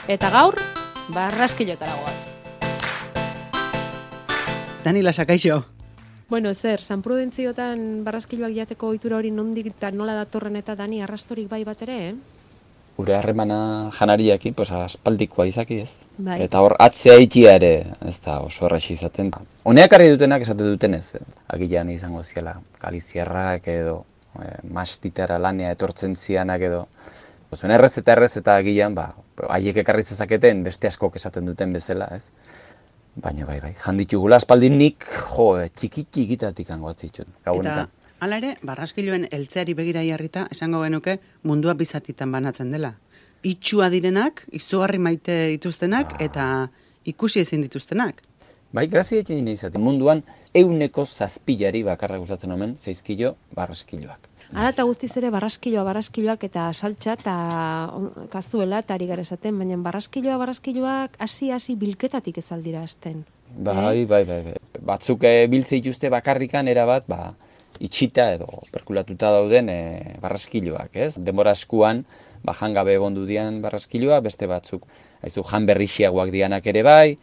Eta gaur, barraskilotara goaz. Dani Lasakaixo. Bueno, zer, San Prudentziotan barraskiloak jateko ohitura hori nondik eta nola datorren eta Dani arrastorik bai bat ere, Gure harremana janariakin, aspaldikoa izaki ez. Bai. Eta hor, atzea ikia ere, ez da oso erraxi izaten. Honeak arri dutenak esate dutenez, agilean izango ziela, galizierrak edo, mastitara lanea etortzen zianak edo. Zuen errez eta agilean, haiek ekarri zezaketen beste askok esaten duten bezala, ez. Baina bai, janditugula aspaldin nik, txikitatik hango atzitxut, gabonetan. Eta hala ere, barraskiloen heltzeari begira jarrita, esango genuke mundua bizatitan banatzen dela. Itxua direnak, izugarri maite dituztenak, eta ikusi ezin dituztenak. Bai, grazia egin izaten. Munduan 100 bakarra gustatzen omen, 6 kilo barraskiloak. Hala eta guztiz ere barraskiloak eta saltxa eta kazuela eta ari gara esaten, baina barraskiloak hasi bilketatik ez aldira hasten. Bai. Batzuk biltze dituzte bakarrikan erabat, itxita edo perkulatuta dauden barraskiloak, ez? Denbora askuan, jangabe egondu dian barraskiloa, beste batzuk, jan berrixiagoak dianak ere bai,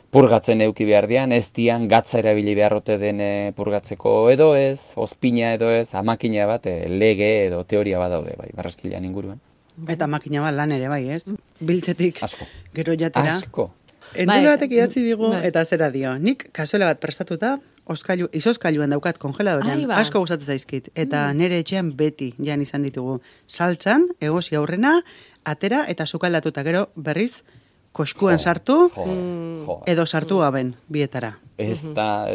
purgatzen euki behar dian, ez dian gatza erabili beharrote den purgatzeko edo ez, ospina edo ez, makina bat, lege edo teoria bat daude, bai, barraskilean inguruan. Eta makina bat lan ere bai, ez? Biltzetik, Asko. gero jatera. Asko. Entzule batek idatzi digu, eta zera dio. Nik kasuela bat prestatuta, izoskailuan daukat kongeladorean, asko gustatzen zaizkit. Eta nire etxean beti jan izan ditugu. Saltzan, egosi aurrena, atera eta sukaldatuta gero berriz, koskuan sartu, edo sartu gaben, bietara. Ez da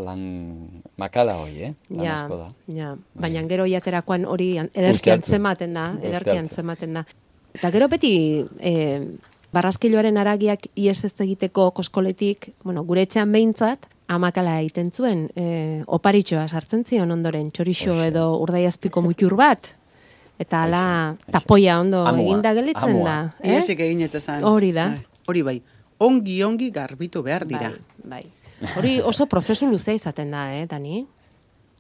lan makala hoi, lan asko da. Ja. Baina gero jaterakoan hori ederkian zematen da. Eta gero beti barraskiloaren aragiak ies ez egiteko koskoletik, gure etxean behintzat, amakala egiten zuen, oparitxoa sartzen zion ondoren, txorixo edo urdaiazpiko mutur bat, eta ala tapoia ondo eginda gelitzen da. Iesik egin etzazan. Hori da. Hori bai, ongi garbitu behar dira. Bai. Hori oso prozesu luzea izaten da, Dani?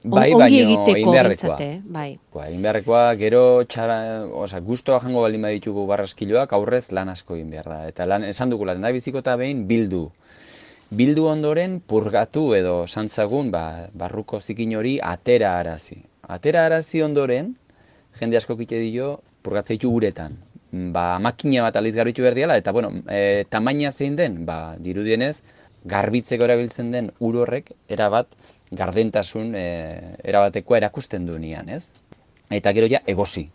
Bai, ongi baino egiteko inbeharrekoa. Bai. Inbeharrekoa, gero guztua jango baldin baditugu barraskiloak, aurrez lan asko egin behar da. Eta lan esan dugula, da biziko eta behin bildu. Bildu ondoren purgatu edo santzagun barruko zikin hori atera arazi. Atera arazi ondoren, jende asko kite dio purgatzeitu uretan. Makina bat aliz garbitu behar diala, eta tamaina zein den, dirudienez, garbitzeko erabiltzen den ur horrek erabat gardentasun erabatekoa erakusten du nian, ez? Eta gero ja egosi.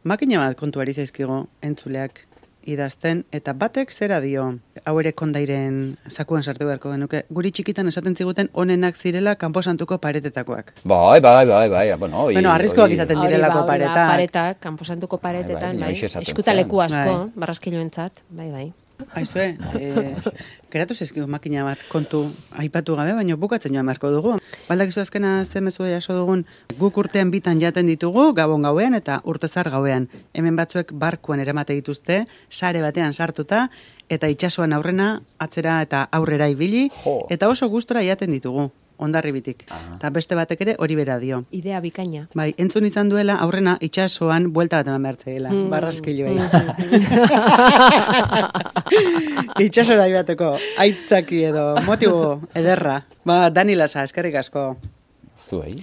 Makina bat kontuari zaizkigo entzuleak idazten, eta batek zera dio, hau ere kondairen zakuan sartu beharko genuke, guri txikitan esaten ziguten onenak zirela kanposantuko paretetakoak. Bai. Arriskoak izaten direlako paretak. Paretak, kanposantuko paretetan, eskutaleku asko, barraskiloentzat, bai. Aizue, geratu zaizkigu makina bat kontu aipatu gabe, baina bukatzen joan beharko dugu. Baldakizu azkena zemezu jaso dugun, guk urtean bitan jaten ditugu, gabon gauean eta urtezar gauean. Hemen batzuek barkuan eremate dituzte, sare batean sartuta, eta itsasoan aurrena, atzera eta aurrera ibili, eta oso gustora jaten ditugu. Ondarribitik. Eta beste batek ere hori bera dio. Idea bikaina. Bai, entzun izan duela aurrena itsasoan buelta bat eman behartzeela, barraskiloei. Itsasora joateko aitzaki edo motibo ederra. Dani Lasa, eskerrik asko. Zuei.